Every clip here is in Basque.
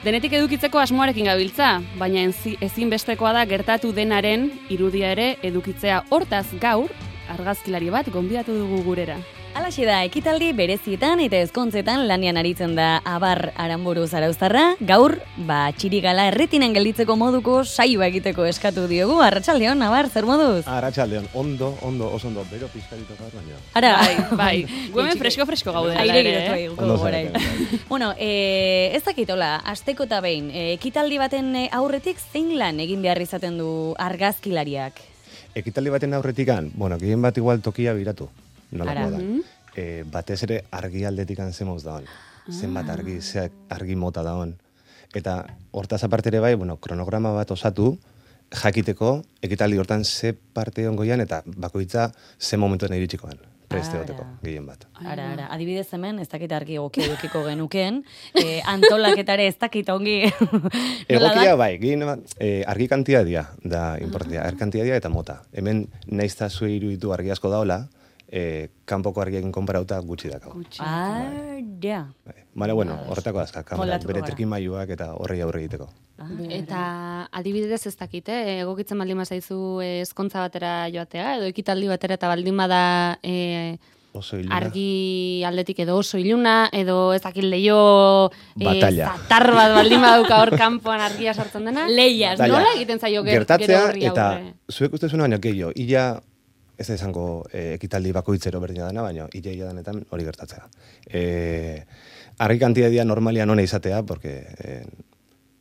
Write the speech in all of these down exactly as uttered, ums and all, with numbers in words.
Denetik edukitzeko asmoarekin gabiltza, baina ezinbestekoa da gertatu denaren irudia ere edukitzea. Hortaz gaur, argazkilari bat gonbidatu dugu gurera. Alaxe da, ekitaldi berezietan eta ezkontzetan lanian aritzen da Abar Aranburu Zarauztarra. Gaur, ba, txirigala erretinen gelditzeko moduko saioa egiteko eskatu diogu. Arratsaldeon, Abar, zer moduz? Arratsaldeon, ondo, ondo, oso ondo, bero pizkarito gaur baina. Ara, bai, bai. Guemen fresko-fresko gaude. Aire girotu eguko gorain. Bueno, eh, ez dakitola, asteko eta behin, eh, ekitaldi baten aurretik zein lan egin behar izaten du argazkilariak? Ekitaldi baten aurretikan, bueno, gehien bat igual tokia biratu. Nolako da. E, batez ere argi aldetikan zemoz dagoen. Ah. Zenbat argi, ze argi mota dagoen. Eta hortaz aparte ere bai, bueno, kronograma bat osatu, jakiteko, ekitaldi hortan ze parte ongoian eta bakoitza ze momentuan iritsikoan. Preste goteko, gehien bat. Ara, ara. Adibidez hemen, ez dakit argi egokia edukiko genuken, eh, antolaketare ez dakit ongi. Egokia bai, gehien eh, argi kantiadia da importantia, argi kantiadia eta mota. Hemen naizta zue iruditu argi asko daola, Eh, kanpoko argiekin konparauta gutxi dakau. Ah, ja. Bale, bueno, horretako azka, kamerak, bere trikimailuak eta horrei aurre egiteko. Ah, eta adibidez ez dakite, egokitzen baldin bazaizu ezkontza batera joatea, edo ekitaldi batera eta baldin bada e, argi aldetik edo oso iluna, edo ez dakit leio e, zatar bat baldin baduka hor kanpoan argia sartzen dena. Leiaz, nola egiten zaio gero horri aurre? Gertatzea, eta zuek uste zuen baino gehiago, ila ez da izango eh, ekitaldi bakoitzero berdina dana, baina ia danetan hori gertatzea. Eh, argi kantiadia normalian hona izatea, porque eh,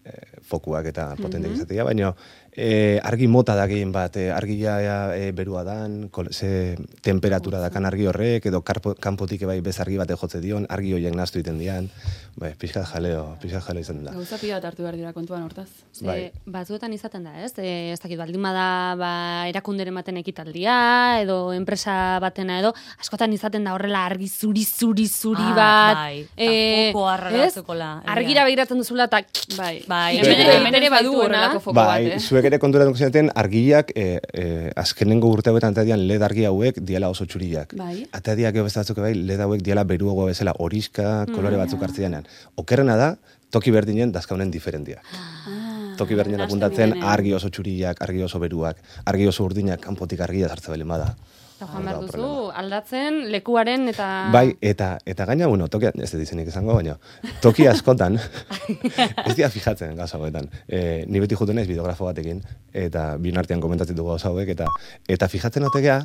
eh, fokuak eta potenteak mm-hmm. izatea, baina eh, argi mota da gehien bat, eh, argia eh, berua dan, kol, ze temperatura dakan argi horrek, edo karpo, kanpotik bai bez argi bate jotze dion, argi horiek naztu iten dian, bai, pixkat jaleo, pixkat jaleo izan da. Gauza pila bat hartu behar dira kontuan hortaz. Ze, bai. Batzuetan izaten da, ez? E, ez dakit, baldin bada ba, erakunderen baten ekitaldia, edo enpresa batena, edo askotan izaten da horrela argi zuri, zuri, zuri ah, bat. Bai, e, foko arragatzekola. Argira begiratzen duzula, eta bai, bai. Hemen ere badu horrelako foko bat, eh? Zuek ere konturatuko zeneten argiak eh, eh, azkenengo urte hauetan eta dian led argi hauek diala oso txuriak. Bai. Eta diak beste batzuk bai led hauek diala beruagoa bezala horiska, kolore batzuk hartzeanean. Okerrena da, toki berdinen dazkaunen diferentia. Ah, toki berdinen apuntatzen argi oso txuriak, argi oso beruak, argi oso urdinak, kanpotik argia zartze belen bada. Eta joan behar duzu, aldatzen lekuaren eta... Bai, eta, eta gaina, bueno, tokia, ez da dizenik izango, baina, toki askotan, ez dira fijatzen gauza hauetan. E, ni beti juten naiz bideografo batekin, eta bien artean komentatzen dugu gauza hauek, eta, eta fijatzen otekea,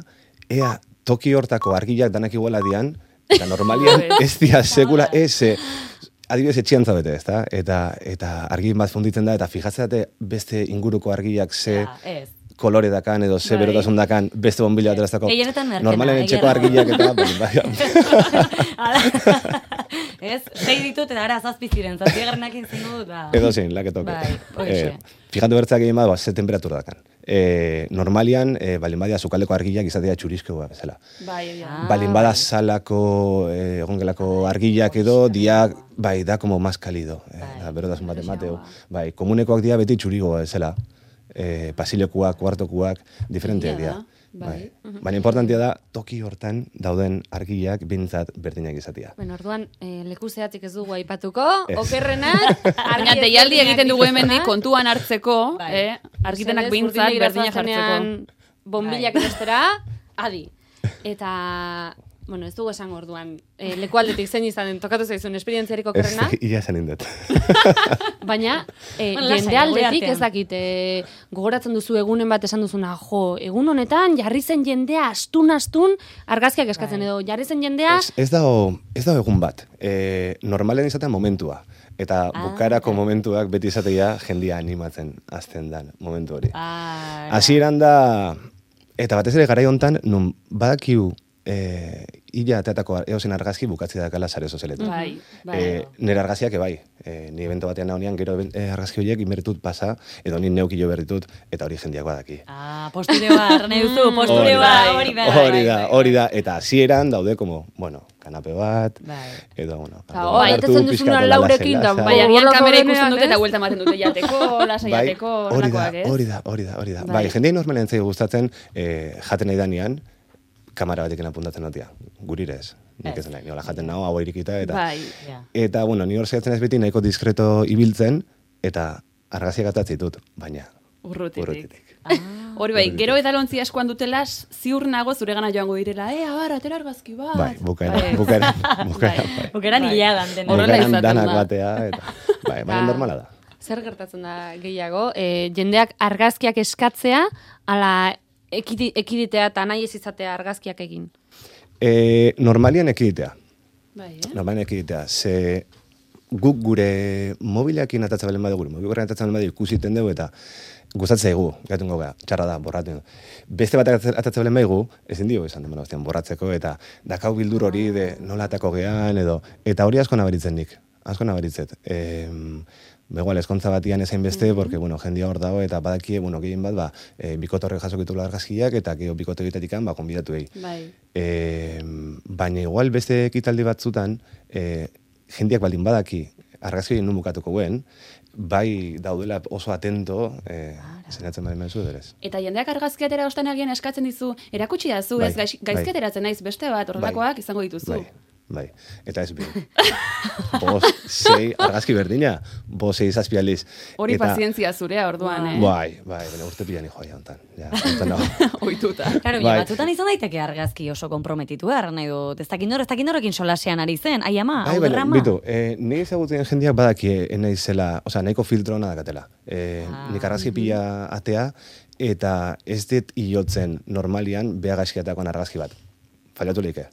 ea toki hortako argiak danak iguala dian, eta normalian ez dira sekula, ez, e, adibidez etxian zabete, ezta? Eta, eta argi bat funditzen da, eta fijatzen beste inguruko argiak ze... Ja, kolore dakan edo ze berotasun dakan beste bombila ateraztako. Normalen etxeko argiak eta... Ez, zei ditut eta ara zazpiziren, zazpiegarrenak intzen dut. Edo zein, laketoke. Fijatu bertzak egin bat, ze temperatura dakan. Normalian, balin badia zukaldeko argiak izatea txurizkoa bezala. Balin bada salako, egongelako argiak edo, diak, bai, da como más kalido. Berotasun bat emateu. Bai, komunekoak dia beti txurigoa bezala. Eh, pasilokuak, kuartokuak, diferenteak dira. Bai. Bai. Baina importantia da, toki hortan dauden argiak bintzat berdinak izatea. Bueno, orduan, eh, leku zehatzik ez dugu aipatuko, okerrenak, baina deialdi egiten dugu hemendik kontuan hartzeko, bai. eh, argitenak bintzat berdinak hartzeko. Bombilak bestera, adi. Eta... Bueno, ez dugu esan orduan, e, lekualdetik zein izanen tokatu zaizun esperientziarik okerrena. Ez, ia esan indet. Baina, e, jende aldetik ez dakit, e, gogoratzen duzu egunen bat esan duzuna, jo, egun honetan jarri zen jendea astun-astun argazkiak eskatzen edo, jarri zen jendea... Ez, ez dago ez da egun bat, e, normalen izaten momentua. Eta ah, bukarako okay. momentuak beti izatea jendia animatzen azten dan momentu hori. Ah, hasieran da, eta batez ere garai hontan, nun badakiu eh, illa ateatako eozen argazki bukatzi dakala sare sozialetan. Bai, bai. Eh, nire argazkiak bai, eh, ni evento batean nahonean gero eh, argazki horiek inbertut pasa, edo ni neukillo berritut, eta hori jendiak badaki. Ah, postureo nahi duzu, postureo hori da. Hori da, hori da, eta hasieran daude como, bueno, kanape bat, edo, bueno. Bai, etetzen duzuna laurekin, da, bai, agian kamera ikusten dute eta vuelta ematen dute jateko, lasa jateko, horrekoak, ez? Hori da, hori da, hori da. Bai, jendei normalen zaigu gustatzen, jaten nahi danean, kamera batekin apuntatzen notia, gurirez. nik ez nahi, nola jaten nago, hau irikita, eta, eta, bueno, ni hor zehatzen ez beti nahiko diskreto ibiltzen, eta argaziak atatzitut, baina urrutitik. Hori bai, gero edalontzi askoan dutela, ziur nago zure gana joango direla, eh, abar, atera argazki bat. Bai, bukaeran, bukaeran, bukaeran, bai. Bukaeran hilagan dena. Bukaeran danak batea, eta, bai, baina normala da. Zer gertatzen da gehiago, jendeak argazkiak eskatzea, ala ekiditea eta nahi ez izatea argazkiak egin? Normalian ekiditea. Bai, eh? Normalian ekiditea, ze guk gure mobileakin atatzen balen badugu, mobileakin atatzen balen badugu ikusiten dugu, eta gustatzen egu, gatungo gara, txarra da, borratzen. Beste bat atatzen balen baigu, ezin dio izan, borratzeko, eta dakau bildur hori de nola atako gehan, edo, eta hori asko nabaritzen nik, asko nabaritzet. E, Begoal, eskontza batian ezain beste, mm-hmm. porque, bueno, jendia hor dago, eta badakie, bueno, gehien bat, ba, e, bikotorre jasokitu argazkiak, eta geho bikote egitetikan, ba, konbidatu egi. Bai. E, baina igual beste ekitaldi batzutan, e, jendiak baldin badaki, argazki egin nun bukatuko guen, bai daudela oso atento, eh, zenatzen bali menzuederez. Eta jendeak argazkiatera ostean egin eskatzen dizu, erakutsi da zu, bai, ez gaiz, gaizkiateratzen naiz beste bat, horrelakoak bai, izango dituzu. Bai, bai. Eta ez bi. Bos, sei, argazki berdina, bos, sei, zazpi aliz. Hori eta... pazientzia zurea orduan, eh? Bai, bai, bene, urte pilan hijoa jauntan. Ja, jauntan oituta. Claro, bai. Batzutan izan daiteke argazki oso komprometitu behar, nahi dut, ez dakin nor, ez dakin norekin solasean ari zen, ai ama, hau derrama. Bitu, eh, nire ezagutzen jendeak badaki enaiz zela, oza, nahiko filtro hona dakatela. Eh, ah, nik argazki pila atea, eta ez dit iotzen normalian beha gaizkiatakoan argazki bat. Fallatu leike.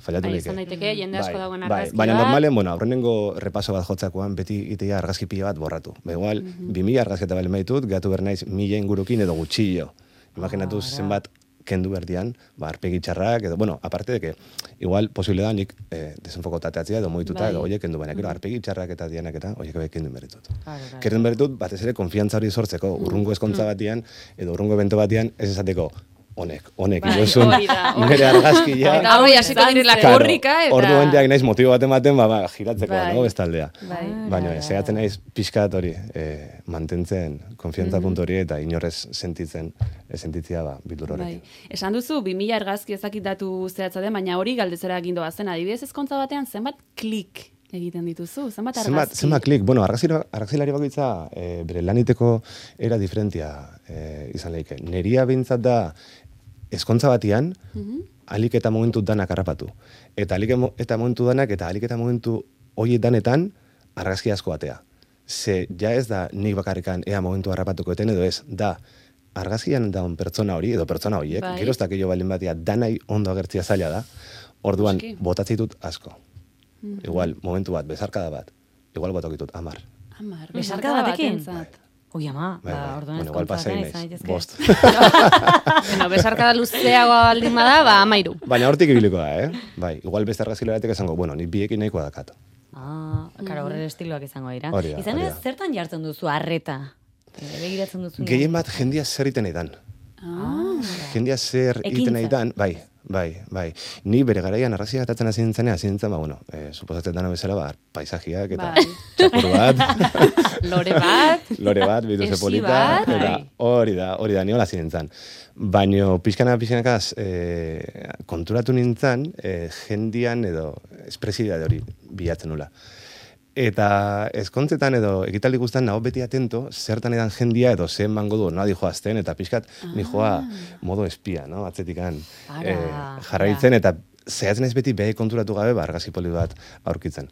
Fallatu bai, leike. Izan daiteke, jende asko dagoen argazki bai, baina normalen, bueno, aurrenengo repaso bat jotzakoan, beti itea argazki pila bat borratu. Ba, igual, mm-hmm. bi mila argazketa bale maitut, gatu bernaiz mila ingurukin edo gutxillo. Imaginatu ah, zenbat kendu berdian, ba, arpegi txarrak, edo, bueno, aparte de que, igual, posible da nik eh, desenfokotateatzea edo moituta, bai. Edo, oie, kendu baina, mm-hmm. arpegi txarrak eta dianak eta, oie, bai, kendu beritut. Kendu beritut, batez ere, konfiantza hori sortzeko, mm-hmm. urrungo eskontza batian, edo urrungo evento batian, ez esateko, honek, honek, bai, izozun, nire argazkia. Eta hori hasiko direla korrika, eta... Orduan jak naiz motibo bat ematen, ba, ba, giratzeko, bai. No, bestaldea. Bai. Baina, zehatzen naiz pixkat hori, eh, mantentzen, konfiantza mm-hmm. puntu hori, eta inorrez sentitzen, sentitzia, ba, bildur horrekin. Bai. Esan duzu, bi mila argazki ezakit datu zehatza den, baina hori galdezera egindoa zen, adibidez ezkontza batean, zenbat klik egiten dituzu, zenbat argazki? Zenbat, zenbat klik, bueno, argazkilari bakoitza, eh, bere laniteko era diferentia eh, izan lehike. Neria bintzat da, eskontza batian, mm-hmm. alik eta momentu danak harrapatu. Eta alik eta momentu danak, eta alik eta momentu hori danetan, argazki asko batea. Ze, ja ez da nik bakarrikan ea momentu harrapatuko eten, edo ez, da, argazkian daun pertsona hori, edo pertsona horiek, bai. Gero ez dakillo balin batia, danai ondo agertzia zaila da, orduan, botatzitut asko. Mm-hmm. Igual, momentu bat, bezarkada bat, igual botokitut, amar. Amar, bezarkada batekin? Bai. Ui, ama, bai, ba, orduan bueno, igual pasei naiz, bost. Bueno, besarkada luzeago aldin bada, ba, amairu. Baina hortik ibiliko da, eh? Bai, igual beste argazkilaretek esango, bueno, ni biekin nahikoa dakat. Ah, karo, horre estiloak izango dira. Hori da, izan hori ez, zertan jartzen duzu arreta? Begiratzen duzu? Gehien bat jendia zer iten eidan. Ah. Jendia zer iten eidan, bai. Bai, bai. Ni bere garaian arrazia gatatzen hasi nintzen, hasi nintzen, ba, bueno, eh, suposatzen dana bezala, ba, paisajiak eta bai. Txakur bat. Lore bat. Lore bat, bitu polita. Eta hori da, hori da, niola hasi nintzen. Baina, pixkana, pixkanakaz, eh, konturatu nintzen, eh, jendian edo espresidade hori bilatzen nula. Eta ezkontzetan edo ekitaldi guztan nago beti atento, zertan edan jendia edo zen mango du, no, dijoa azten, eta pixkat ah. nijoa modo espia, no, atzetikan eh, jarraitzen, eta zehatzen ez beti behe konturatu gabe, ba, argazki poli bat aurkitzen.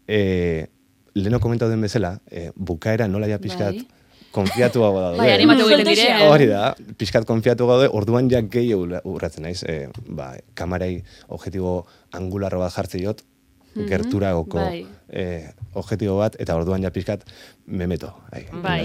Eh, Leno komentau den bezala, eh, bukaera nola ja pixkat bai. Konfiatu gau daude. Bai, animatu egiten dire. Hori da, pixkat konfiatu gaude, orduan ja gehi urratzen naiz, eh, ba, kamarei objetibo angularro bat jartze jot, Mm-hmm. gerturagoko bai. eh, objetibo bat, eta orduan ja pixkat memeto. Ai, bai,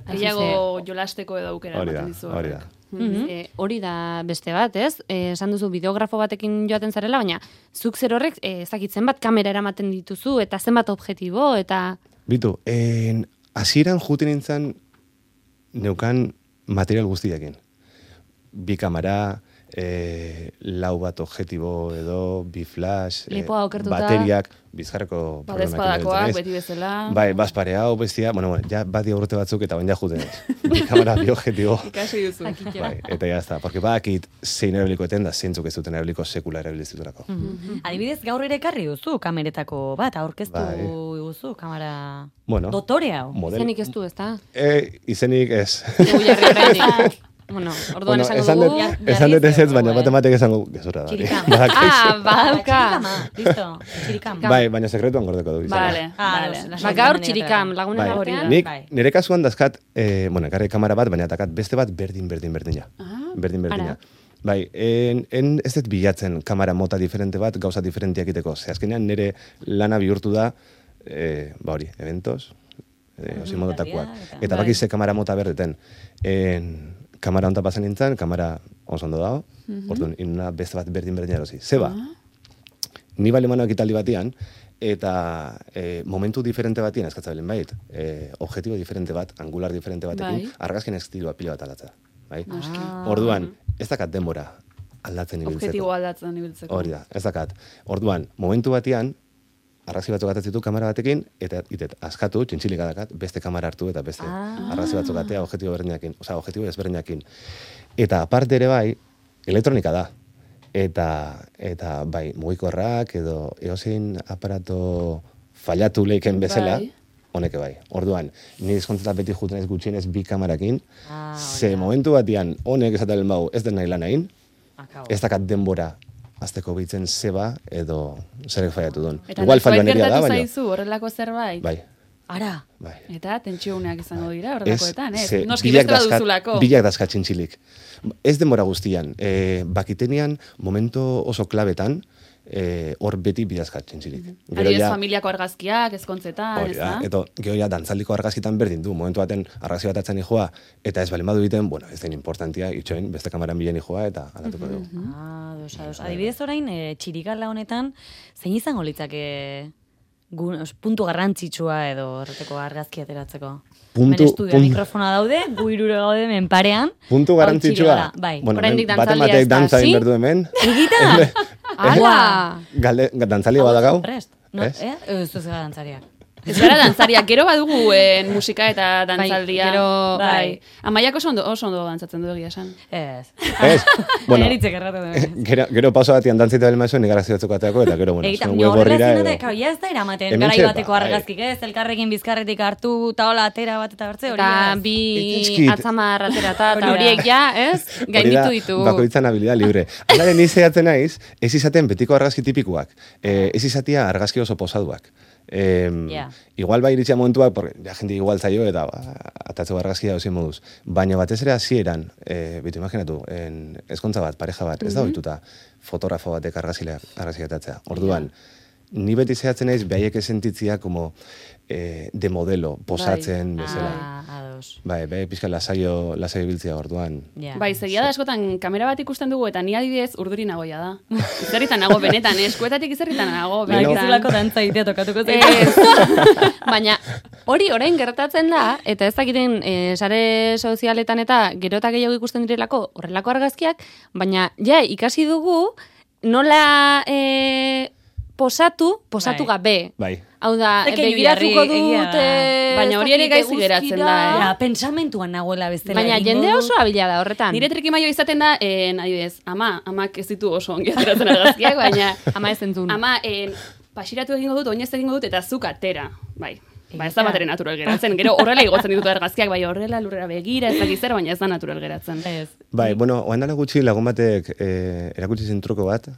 gehiago jolasteko edo aukera ematen dizu. Hori da. Mm-hmm. E, hori da beste bat, ez? E, esan duzu bideografo batekin joaten zarela, baina zuk zer horrek e, ezakitzen bat kamera eramaten dituzu, eta zenbat objetibo, eta... Bitu, en, hasieran juten nintzen neukan material guztiekin. Bi kamera, e, lau bat objektibo edo, bi flash, e, okertuta, bateriak, bizkarreko badezpadakoak, beti bezala. Bai, bazpare hau, bestia, bueno, bueno, ja badia urte batzuk eta bain ja juten ez. Bi kamera, bi objektibo. Ikasi duzu. Bai, eta ya está, porque badakit zein erabiliko eten da, zeintzuk ez duten erabiliko sekula erabiliziturako. Mm -hmm. Adibidez, gaur ere ekarri duzu kameretako bat, aurkeztu bai. duzu kamera bueno, dotore hau. Izenik ez du, ez da? E, izenik ez. Egu jarri horretik. Bueno, orduan bueno, esango dugu. Esan dut ez ez, baina matematik esango gezurra da. Txirikam. Ah, badauka. Listo, txirikam. Bai, baina sekretuan gordeko du. Vale, vale. Ba, gaur txirikam, lagunen bai. artean. Nik, nire kasuan dazkat, eh, bueno, ekarri kamera bat, baina takat beste bat berdin, berdin, berdina. Ah, berdin, berdina. Bai, en, en ez dut bilatzen kamera mota diferente bat, gauza diferentiak iteko. Ze azkenean nire lana bihurtu da, eh, ba hori, eventos, eh, osi modotakoak. Eta baki ze kamera mota berdeten. En, kamera onta pasen nintzen, kamera oso ondo dago, mm -hmm. orduan, inuna beste bat berdin-berdin erosi. Zeba, uh -huh. ni bale manoak italdi batian, eta e, momentu diferente batian, eskatza belen bait, e, objektibo diferente bat, angular diferente batekin, bai. Argazkien estilua pila bat aldatza. Bai? Ah. Orduan, ez dakat denbora aldatzen ibiltzeko. Objektibo aldatzen ibiltzeko. Hori da, ez dakat. Orduan, momentu batian, argazki batzuk atatzen ditu kamera batekin, eta itet, askatu, txintxilik adakat, beste kamera hartu eta beste ah. argazki batzuk atea objektibo berdinakin, osea, objektibo ezberdinakin. Eta aparte ere bai, elektronika da. Eta, eta bai, mugikorrak edo eozein aparato fallatu leiken bezala, bai. Honeke bai. Orduan, ni dizkontzeta beti juten ez gutxienez bi kamerakin, ah, ze momentu batian honek esatelen bau ez den nahi lan hain, ez dakat denbora azteko bitzen zeba edo zerek faiatu duen. Igual falloan eria da, baina. Eta nahi zaizu horrelako zerbait? Bai. Ara, bai. Eta tentsiuneak izango dira horrelakoetan, ez? ez? Noski bestela duzulako. Bilak dazka txintxilik. Ez denbora guztian. E, bakitenian, momento oso klabetan, hor e, beti bidazka txintxilik. Mm -hmm. Adibidez familiako argazkiak, ezkontzetan, ez da? Eta gero ja, dantzaldiko argazkitan berdin du. Momentu baten argazki bat atzen ijoa, eta ez balimadu egiten, bueno, ez den importantia, itxoin, beste kamaran bilen ijoa, eta aldatuko dugu. Mm -hmm. Ah, dos, dos. Adibidez orain, e, txirikala honetan, zein izango litzake puntu garrantzitsua edo horreteko argazki ateratzeko? Puntu, estudia puntu. Mikrofona daude, gu irure gaude menparean. Puntu garrantzitsua? Bai. Bueno, bate batek dantza egin berdu hemen. Egita? Ala! Dantzalia badakau? Prest. No, eh? Ez ez gara dantzariak. Ez gara dantzariak, gero badugu en musika eta dantzaldia. Bai, gero, bai. Amaiak oso ondo, oso ondo dantzatzen du egia esan. Ez. Ez? Bueno, gero, gero pauso batian dantzita bel maizuen, nik arazio batzuk ateako, eta gero, bueno, zuen web horrira edo. Eta ja ez da eramaten, garai bateko argazkik, ez? Elkarrekin bizkarretik hartu, taola atera bat eta bertze hori. Eta bi atzamar atera eta horiek ja, ez? Gainditu ditu. Bakoitzan habilidad libre. Alaren nizeatzen naiz, ez izaten betiko argazki tipikuak. Ez izatia argazki oso posaduak. Eh, yeah. Igual bai iritsia momentuak, porque ja gente igual zaio eta ba, atatzeko argazkia dozien moduz. Baina batez ere hasieran, eh, bitu imaginatu, en ezkontza bat, pareja bat, ez da ohituta fotografo batek argazkia atatzea. Orduan, yeah. ni beti zehatzen naiz behaiek esentitzia como eh, de modelo, posatzen bai. Bezala. Ah, ados. Bai, bai, pizka lasaio, lasaio biltzia orduan. Yeah. Bai, segia da askotan kamera bat ikusten dugu eta ni adibidez urduri nagoia da. Izerritan nago benetan, eskuetatik izerritan nago. Bai, gizulako dantza itea tokatuko zen. Baina hori orain gertatzen da, eta ez dakiten e, sare sozialetan eta gero eta gehiago ikusten direlako horrelako argazkiak, baina ja, ikasi dugu nola e, posatu, posatu bai. Gabe. Bai. Hau da, begiratuko dut, baina hori ere gaizki geratzen da, eh? Ja, pensamentuan nagoela bestela. Baina jende oso abila da horretan. Nire trikimaio izaten da, eh, adibidez, ama, amak ez ditu oso ongi ateratzen argazkiak, baina ama ez entzun. Ama, eh, pasiratu egingo dut, oinez egingo dut, eta zuk atera, bai. Ba, ez da bateren natural geratzen. Gero horrela igotzen ditut argazkiak, bai horrela lurrera begira, ez dakiz zer, baina ez da natural geratzen. Bai, bueno, oan dala gutxi lagun batek eh, erakutsi zen truko bat,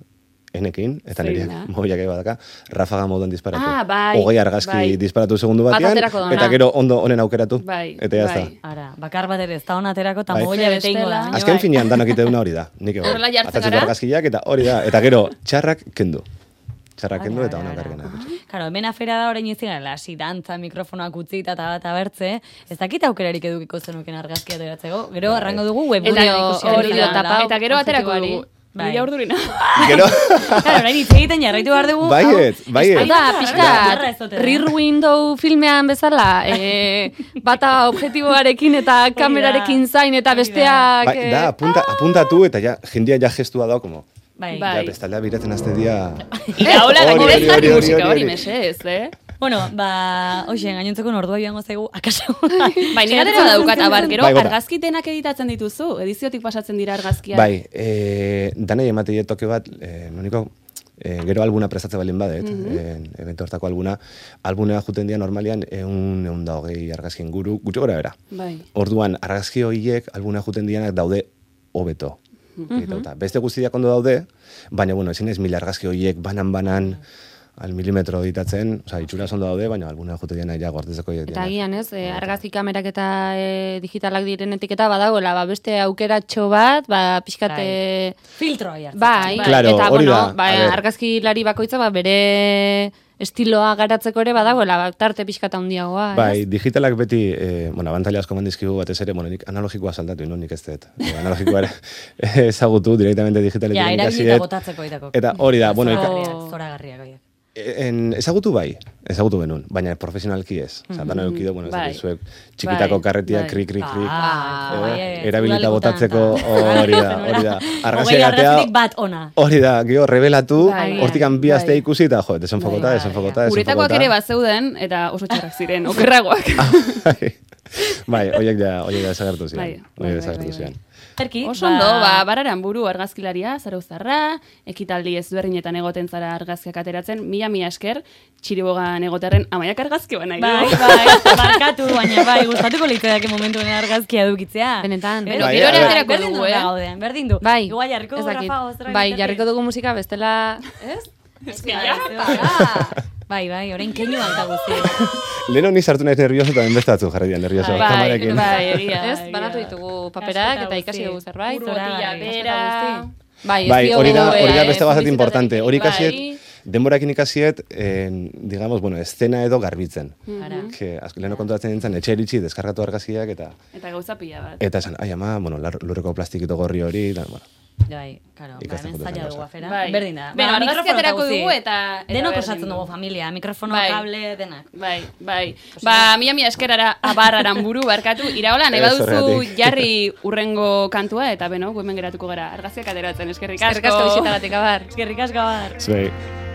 enekin, eta nire mobiak ega badaka, rafaga moduan disparatu. Ah, bai, hogei argazki bai. Disparatu segundu batean, eta gero ondo honen aukeratu. Bai, eta jazta. Bai. Ara, bakar bat ere ez da honaterako, eta bai. Mogila bete ingo da. Azken bai. Finean danok ite duna hori da. Nik ego. Atatzeko argazkiak, eta hori da. Eta gero, txarrak kendu. Txarrak kendu eta honak argena. Karo, hemen afera da orain izan, lasi dantza, mikrofonoak utzita eta bat abertze, ez dakit aukerarik edukiko zenuken argazkia ateratzeko, gero arrango dugu webgunean ikusi. Eta gero aterako dugu. Mila urdurina. Gero... Claro, orain hitz egiten jarraitu behar dugu. Baiet, baiet. Eta, pixka, Rear Window filmean bezala, e, bata objektiboarekin eta kamerarekin zain eta besteak... Bai, da, apunta, apuntatu eta ja, jendia ja gestua da, como... Bai. Ja, bestaldea biratzen azte dia... Ira, hola, gainera ezari musika hori mesez, eh? Bueno, ba, hoxen, gainontzeko nordua joango zaigu, akaso. Bai, nire atera daukat, abar, gero, argazkitenak editatzen dituzu, ediziotik pasatzen dira argazkiak. Bai, e, danei ematei toke bat, e, noniko, e, gero albuna prestatze balin badet, mm -hmm. e, evento hortako albuna, albunea juten dira normalian eun, eun da hogei argazkien guru, gutxo gora bera. Bai. Orduan, argazki horiek albunea juten dianak daude hobeto. Mm -hmm. Beste guztiak ondo daude, baina, bueno, ezin ez mila argazki horiek banan-banan, al milimetro editatzen, oza, itxura zondo daude, baina albuna jute diana ja gortezeko diena. Eta agian ez, e, argazki kamerak eta e, digitalak diren etiketa badagoela, ba, beste aukeratxo bat, ba, pixkate... Filtroa jartzen. Bai, claro, eta, bueno, da, ba, argazki lari bakoitza, ba, bere estiloa garatzeko ere badagoela, ba, tarte pixkata handiagoa. Bai, digitalak beti, e, bueno, abantaila asko mandizkigu batez ere, bueno, nik analogikoa saldatu, no, nik ez dut. E, analogikoa ere ezagutu, direktamente digitalekin ikasiet. Ja, erabilita botatzeko itako. Eta hori da, bueno... Zoragarriak, oiak. En, ezagutu bai, ezagutu benun, baina profesionalki ez. Mm -hmm. Zatan eukido, bueno, bai. Zuek txikitako bai. Karretia, bai. krik, krik, krik. Ah, bai, eh, erabilita botatzeko hori da, hori da. Argazia gatea, bat ona. Hori da, gio, rebelatu, hortikan bi astea ikusi, eta jo, desenfokota, bai, desenfokota, desenfokota. Uretakoak ere bat zeuden, eta oso txarrak ziren, okerragoak. Bai, horiek da, horiek da desagertu ziren. Horiek desagertu ziren. Erki, oso ondo, ba, bararan buru argazkilaria, Zarauztarra, ekitaldi ezberdinetan egoten zara argazkiak ateratzen, mila mila esker, txiribogan egoterren amaiak argazki ba nahi. Bai, bai, barkatu, baina bai, gustatuko litzeak momentuen argazkia dukitzea. Benetan. Gero ere aterako dugu, eh? Gauden, berdin du. Bai, igual jarriko dugu, Rafa, bai, jarriko dugu musika bestela, ez? Ez que ja, bai, bai, orain keinu alta guzti. Leno ni sartu naiz nervioso eta enbestatzu jarri dian nervioso. Bai, bai, egia. Ez, banatu ditugu paperak eta ikasi dugu zerbait. Botilla bera. Bai, bai, hori da, hori da beste bazat importante. Hori ikasiet, denborakin ikasiet, digamos, bueno, escena edo garbitzen. Que leno konturatzen nintzen, etxe eritxi, deskargatu argazkiak eta... Eta gauza pila bat. Eta esan, ai ama, bueno, lurreko plastikito gorri hori, da, bueno. Bai, claro, ba, hemen zaila dugu afera. Bai. Berdin da. Bueno, argazki aterako dugu eta... Denok osatzen dugu familia, mikrofono, bai. Kable, denak. Bai, bai. Ba, mila mila eskerara abarraran buru barkatu. Iraola, nahi baduzu jarri urrengo kantua eta beno, hemen geratuko gara argazkiak ateratzen, eskerrik asko. Eskerrik asko bisitagatik, abar. Eskerrik asko, abar. Zuei.